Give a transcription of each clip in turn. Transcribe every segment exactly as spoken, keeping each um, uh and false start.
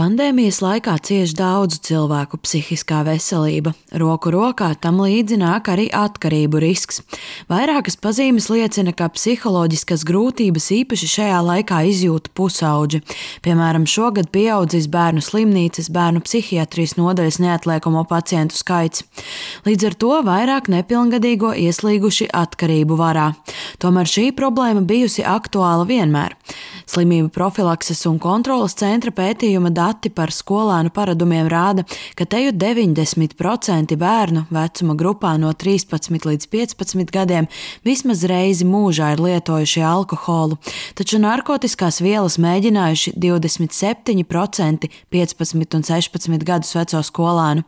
Pandēmijas laikā cieš daudzu cilvēku psihiskā veselība. Roku rokā tam līdzi nāk arī atkarību risks. Vairākas pazīmes liecina, ka psiholoģiskas grūtības īpaši šajā laikā izjūta pusauģi. Piemēram, šogad pieaudzis bērnu slimnīcas, bērnu psihiatrijas nodaļas neatliekamo pacientu skaits. Līdz ar to vairāk nepilngadīgo ieslīguši atkarību varā. Tomēr šī problēma bijusi aktuāla vienmēr. Slimību profilakses un kontroles centra pētījuma dati par skolēnu paradumiem rāda, ka teju deviņdesmit procenti bērnu vecuma grupā no trīspadsmit līdz piecpadsmit gadiem vismaz reizi mūžā ir lietojuši alkoholu, taču narkotiskās vielas mēģinājuši divdesmit septiņi procenti piecpadsmit un sešpadsmit gadus veco skolēnu.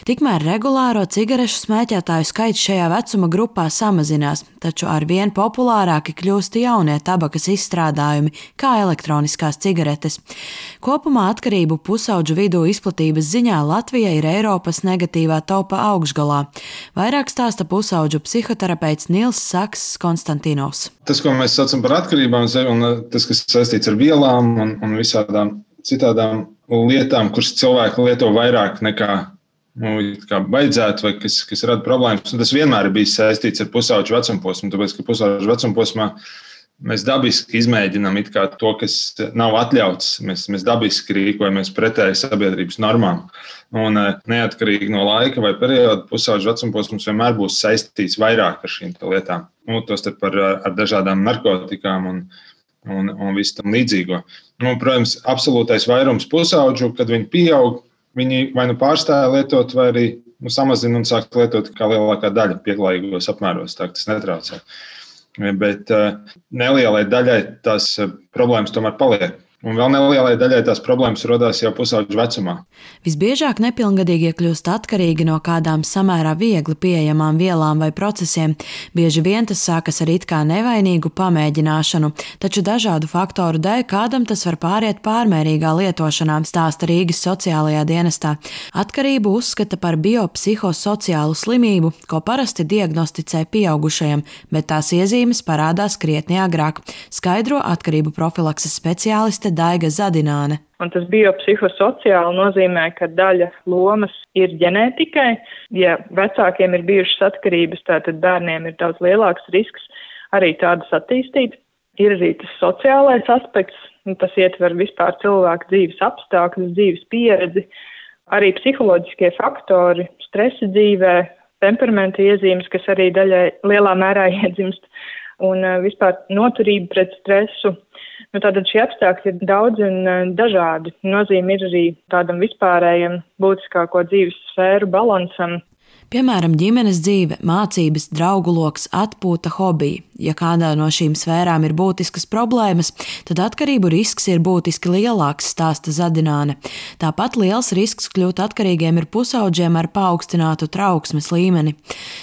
Tikmēr regulāro cigarešu smēķētāju skaits šajā vecuma grupā samazinās, taču arvien populārāki kļūst jaunie tabakas izstrādājumi, kā elektroniskās cigaretes. Kopumā atkarību pusauģu vidū izplatības ziņā Latvija ir Eiropas negatīvā topa augšgalā. Vairāk stāsta pusauģu psihoterapeits Nils Saks Konstantinovs. Tas, ko mēs saucam par atkarībām, un tas, kas saistīts ar vielām un, un visādām citādām lietām, kuras cilvēki lieto vairāk nekā nu, kā vajadzētu, vai kas, kas rada problēmas, un tas vienmēr ir bijis saistīts ar pusauģu vecumposmu, tāpēc, ka pusauģu vecumposmā mēs dabiski izmēģinām it kā to, kas nav atļauts. Mēs, mēs dabiski rīkojamies pretēji sabiedrības normām. Un neatkarīgi no laika vai perioda pusauģu vecumposms vienmēr būs saistīts vairāk ar šīm lietām. Nu, tostarp ar, ar dažādām narkotikām un, un, un visu tam līdzīgo. Nu, protams, absolūtais vairums pusauģu, kad viņi pieaug, viņi vai nu pārstāja lietot, vai arī nu, samazina un sāk lietot kā lielākā daļa pieklājīgos apmēros. Tā tas netraucē. Bet nelielai daļai tās problēmas tomēr paliek. Un vēl nelielai daļai tās problēmas rodās jau pusauģu vecumā. Visbiežāk nepilngadīgie kļūst atkarīgi no kādām samērā viegli pieejamām vielām vai procesiem. Bieži vien tas sākas ar it kā nevainīgu pamēģināšanu, taču dažādu faktoru dēļ kādam tas var pāriet pārmērīgā lietošanā, stāsta Rīgas sociālajā dienestā. Atkarību uzskata par biopsihosociālu slimību, ko parasti diagnosticē pieaugušajam, bet tās iezīmes parādās krietni agrāk, skaidro atkarību profilakses speciāliste Daiga Zadināne. Un tas biopsihosociāli nozīmē, ka daļa lomas ir ģenētikai. Ja vecākiem ir bijušas atkarības, tātad bērniem ir daudz lielāks risks arī tādas attīstīt. Ir arī tas sociālais aspekts, un tas ietver vispār cilvēku dzīves apstākļus, dzīves pieredzi, arī psiholoģiskie faktori, stresa dzīvē, temperamenta iezīmes, kas arī daļai lielā mērā iedzimst, un vispār noturība pret stresu. Nu, tātad šie apstākļi ir daudz un dažādi. Nozīme ir arī tādam vispārējam būtiskāko dzīves sfēru balansam. Piemēram, ģimenes dzīve, mācības, draugu loks, atpūta, hobiji. Ja kādā no šīm sfērām ir būtiskas problēmas, tad atkarību risks ir būtiski lielāks, stāsta Zadināne. Tāpat liels risks kļūt atkarīgiem ir pusauģiem ar paaugstinātu trauksmes līmeni.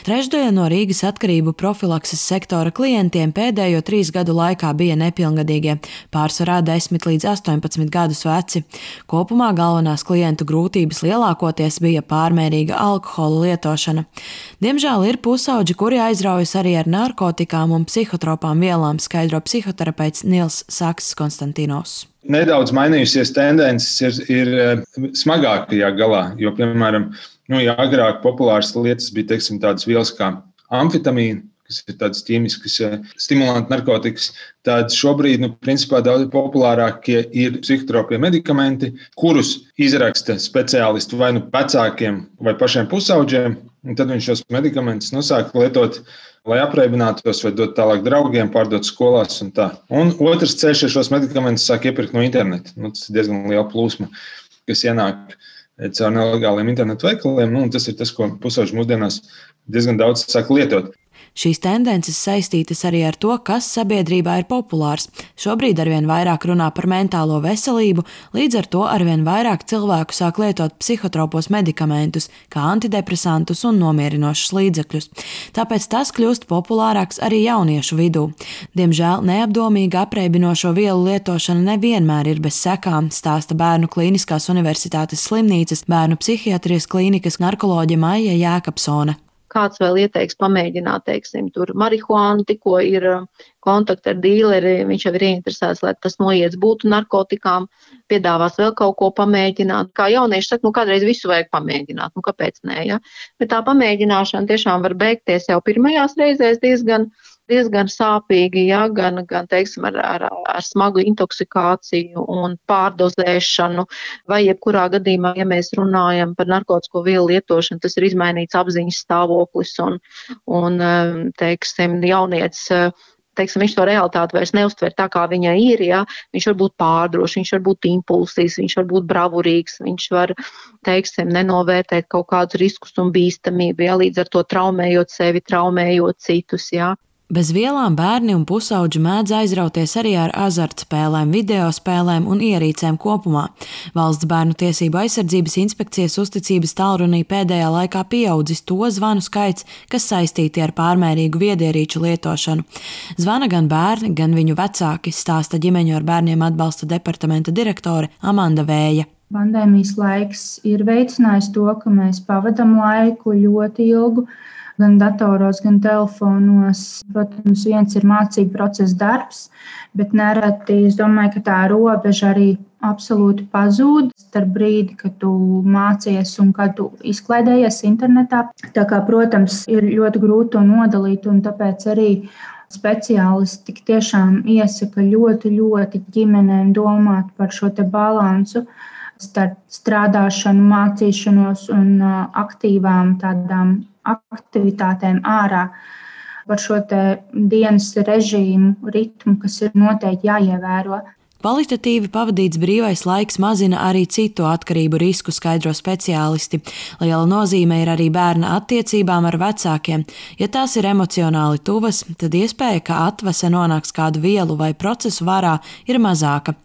Trešdaļa no Rīgas atkarību profilakses sektora klientiem pēdējo trīs gadu laikā bija nepilngadīgie, pārsvarā desmit līdz astoņpadsmit gadus veci. Kopumā galvenās klientu grūtības lielākoties bija pārmērīga alkohola lietošana. Diemžēl ir pusauģi, kuri aizraujas arī ar narkotikām un psihotropām vielām, skaidro psihoterapeits Nils Saks Konstantinovs. Nedaudz mainījusies tendences ir, ir smagākajā galā, jo, piemēram, nu, ja agrāk populāras lietas bija, teiksim, tādas vielas kā amfetamīna, kas ir tādas ķīmiskas stimulanti narkotikas, tad šobrīd, nu, principā daudz populārākie ir psihotropie medikamenti, kurus izraksta speciālisti vai nu vecākiem vai pašiem pusauģiem, un tad viņš šos medikamentus nu, sāk lietot, lai apreibinātos vai dot tālāk draugiem, pārdot skolās un tā. Un otrs ceļš ir šos medikamentus sāk iepirkt no interneta. Nu, tas ir diezgan liela plūsma, kas ienāk caur nelegāliem internetu veikaliem, nu, un tas ir tas, ko pusauģi mūsdienās diezgan daudz sāk lietot. Šīs tendences saistītas arī ar to, kas sabiedrībā ir populārs. Šobrīd arvien vairāk runā par mentālo veselību, līdz ar to arvien vairāk cilvēku sāk lietot psihotropos medikamentus, kā antidepresantus un nomierinošus līdzekļus. Tāpēc tas kļūst populārāks arī jauniešu vidū. Diemžēl neapdomīga apreibinošo vielu lietošana nevienmēr ir bez sekām, stāsta Bērnu Klīniskās universitātes slimnīcas, Bērnu psihiatrijas klīnikas narkoloģe Maija Jēkabsone. Kāds vēl ieteiks pamēģināt, teiksim, tur marihuānu, tikko ir kontakti ar dīleri, viņš jau ir ieinteresēts, lai tas noiets būtu narkotikām, piedāvās vēl kaut ko pamēģināt. Kā jaunieši saka, nu kādreiz visu vajag pamēģināt, nu kāpēc nē, ja? Bet tā pamēģināšana tiešām var beigties jau pirmajās reizēs diezgan, diezgan sāpīgi, ja? gan, gan teiksim, ar, ar, ar smagu intoksikāciju un pārdozēšanu, vai jebkurā gadījumā, ja mēs runājam par narkotisko vielu lietošanu, tas ir izmainīts apziņas stāvoklis un, un teiksim, jaunietis, teiksim, viņš to realitāti vairs neuztver tā, kā viņai ir, ja? Viņš var būt pārdrošs, viņš var būt impulsīvs, viņš var būt bravurīgs, viņš var, teiksim, nenovērtēt kaut kādus riskus un bīstamību, ja? Līdz ar to traumējot sevi, traumējot citus, ja? Bez vielām bērni un pusauģi mēdz aizrauties arī ar azartspēlēm, videospēlēm un ierīcēm kopumā. Valsts bērnu tiesību aizsardzības inspekcijas uzticības tālrunī pēdējā laikā pieaudzis to zvanu skaits, kas saistīti ar pārmērīgu viedierīču lietošanu. Zvana gan bērni, gan viņu vecāki, stāsta ģimeņu ar bērniem atbalsta departamenta direktore Amanda Vēja. Pandēmijas laiks ir veicinājis to, ka mēs pavadam laiku ļoti ilgu, gan datoros, gan telefonos. Protams, viens ir mācību procesa darbs, bet nereti es domāju, ka tā robeža arī absolūti pazūd starp brīdi, kad tu mācies un kad tu izklaidējies internetā. Tā kā, protams, ir ļoti grūti to nodalīt, un tāpēc arī speciālisti tik tiešām iesaka ļoti, ļoti ģimenēm domāt par šo te balansu starp strādāšanu, mācīšanos un aktīvām tādām aktivitātēm ārā, par šo te dienas režīmu, ritmu, kas ir noteikti jāievēro. Kvalitatīvi pavadīts brīvais laiks mazina arī citu atkarību risku, skaidro speciālisti. Liela nozīme ir arī bērna attiecībām ar vecākiem. Ja tās ir emocionāli tuvas, tad iespēja, ka atvase nonāks kādu vielu vai procesu varā, ir mazāka.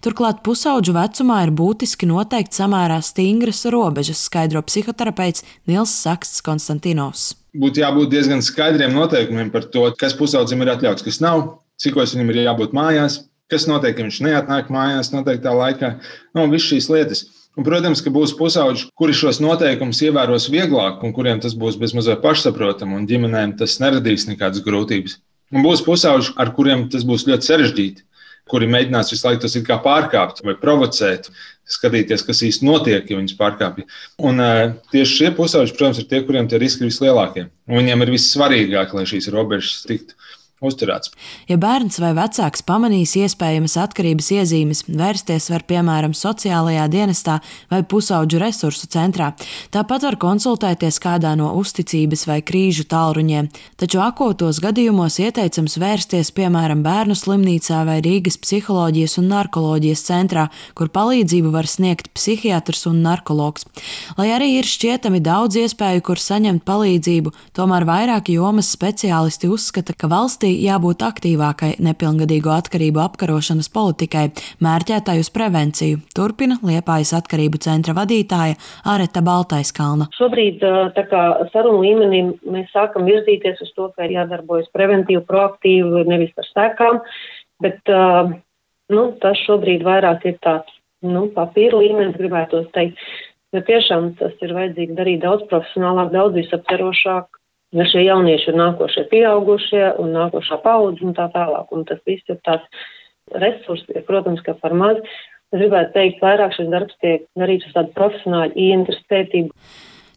Turklāt pusauģu vecumā ir būtiski noteikt samērā stingras robežas, skaidro psihoterapeits Nils Saksts Konstantinovs. Būtu jābūt diezgan skaidriem noteikumiem par to, kas pusaudzim ir atļauts, kas nav, cikos viņam ir jābūt mājās, kas notiek, ja viņš neatnāk mājās noteiktā laikā, no visas šīs lietas. Un, protams, ka būs pusauģi, kuri šos noteikumus ievēros vieglāk un kuriem tas būs bezmazliet pašsaprotam un ģimenēm tas neradīs nekādas grūtības. Un būs pusauģi, ar kuriem tas būs ļoti sarežģīti, kuri mēģinās visu laiku tos it kā pārkāpt vai provocēt, skatīties, kas īsti notiek, ja viņus pārkāpja. Un uh, tieši šie pusauģi, protams, ir tie, kuriem tie riski ir vislielākie. Un viņiem ir vissvarīgāk, lai šīs robežas tiktu uzturēts. Ja bērns vai vecāks pamanīs iespējamas atkarības iezīmes, vērsties var piemēram sociālajā dienestā vai pusauģu resursu centrā. Tāpat var konsultēties kādā no uzticības vai krīžu tālruņiem, taču akūtos gadījumos ieteicams vērsties piemēram bērnu slimnīcā vai Rīgas psiholoģijas un narkoloģijas centrā, kur palīdzību var sniegt psihiatrs un narkologs. Lai arī ir šķietami daudz iespēju, kur saņemt palīdzību, tomēr vairāk jomas speciālisti uzskata, ka valstī jābūt aktīvākai nepilngadīgo atkarību apkarošanas politikai, mērķētai uz prevenciju, turpina Liepājas atkarību centra vadītāja Areta Baltaiskalna. Šobrīd tā kā sarunu līmenī mēs sākam virzīties uz to, ka ir jādarbojas preventīvi, proaktīvi, nevis par sekām, bet nu, tas šobrīd vairāk ir tāds nu, papīra līmenis, gribētos teikt, jo tiešām tas ir vajadzīgi darīt daudz profesionālāk, daudz visaptverošāk. Ja šie jaunieši ir nākošie pieaugušie un nākošā paudze un tā tālāk, un tas viss ir tāds resurs, ja, protams, ka par maz. Es gribētu teikt, vairāk šis darbs tiek darīts uz tādu profesionāļu ieinteresētību.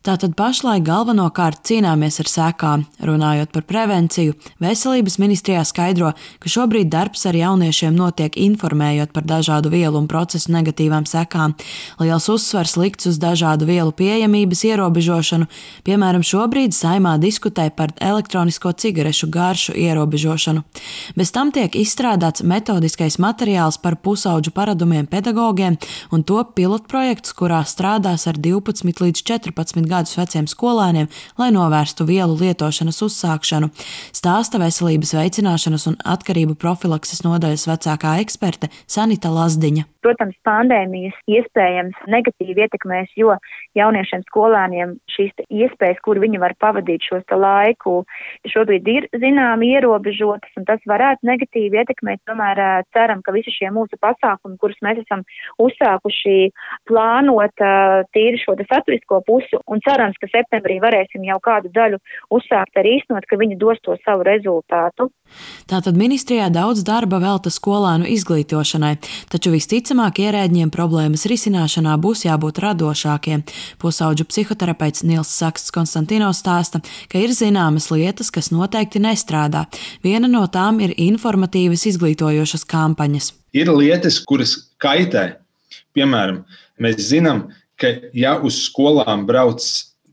Tātad pašlaik galvenokārt cīnāmies ar sekām. Runājot par prevenciju, Veselības ministrijā skaidro, ka šobrīd darbs ar jauniešiem notiek informējot par dažādu vielu un procesu negatīvām sekām. Liels uzsvars likts uz dažādu vielu pieejamības ierobežošanu. Piemēram, šobrīd Saeimā diskutē par elektronisko cigarešu garšu ierobežošanu. Bez tam tiek izstrādāts metodiskais materiāls par pusauģu paradumiem pedagogiem un top pilotprojekts, kurā strādās ar divpadsmit līdz četrpadsmit gadus veciem skolēniem, lai novērstu vielu lietošanas uzsākšanu, stāsta veselības veicināšanas un atkarību profilakses nodaļas vecākā eksperte Sanita Lazdiņa. Protams, pandēmijas iespējams negatīvi ietekmēs, jo jauniešiem, skolēniem šīs iespējas, kur viņi var pavadīt šos laiku, šobrīd ir zināmi ierobežotas, un tas varētu negatīvi ietekmēt. Tomēr ceram, ka visi šie mūsu pasākumi, kurus mēs esam uzsākuši plānot tīri šo saturisko pusi, un cerams, ka septembrī varēsim jau kādu daļu uzsākt arī īstenot, ka viņi dos to savu rezultātu. Tātad ministrijā daudz darba velta skolēnu izglītošanai, taču visticamāk ierēdņiem problēmas risināšanā būs jābūt radošākiem. Pusaudžu psihoterapeits Nils Saksts Konstantinovs stāsta, ka ir zināmas lietas, kas noteikti nestrādā. Viena no tām ir informatīvas izglītojošas kampaņas. Ir lietas, kuras kaitē. Piemēram, mēs zinām, ka ja uz skolām brauc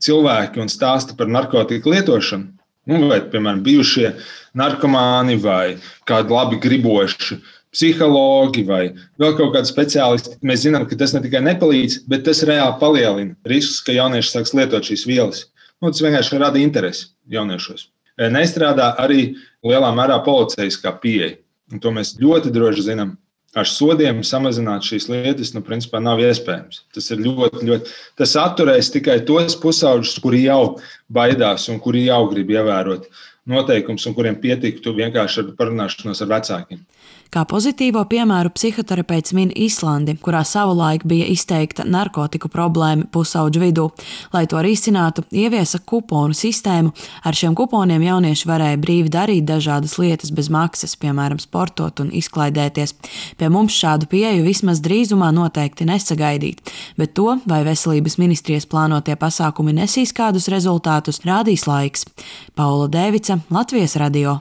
cilvēki un stāsta par narkotiku lietošanu, nu, vai, piemēram, bijušie narkomāni vai kādi labi griboši psihologi vai vēl kaut kādi speciālisti, mēs zinām, ka tas ne tikai nepalīdz, bet tas reāli palielina riskus, ka jaunieši sāks lietot šīs vielas. Nu, tas vienkārši rada interesi jauniešos. Nestrādā arī lielā mērā policijiskā pieeja, un to mēs ļoti droši zinām. Ar sodiem samazināt šīs lietas, nu, principā nav iespējams. Tas ir ļoti, ļoti, tas atturēs tikai tos pusauģus, kuri jau baidās un kuri jau grib ievērot noteikums un kuriem pietiktu vienkārši ar parunāšanos ar vecākiem. Kā pozitīvo piemēru psihoterapeits min Islandi, kurā savulaik bija izteikta narkotiku problēma pusauģu vidū. Lai to risinātu, ieviesa kuponu sistēmu. Ar šiem kuponiem jaunieši varēja brīvi darīt dažādas lietas bez maksas, piemēram, sportot un izklaidēties. Pie mums šādu pieeju vismaz drīzumā noteikti nesagaidīt, bet to, vai veselības ministrijas plānotie pasākumi nesīs kādus rezultātus, rādīs laiks. Paula Dēvica, Latvijas radio.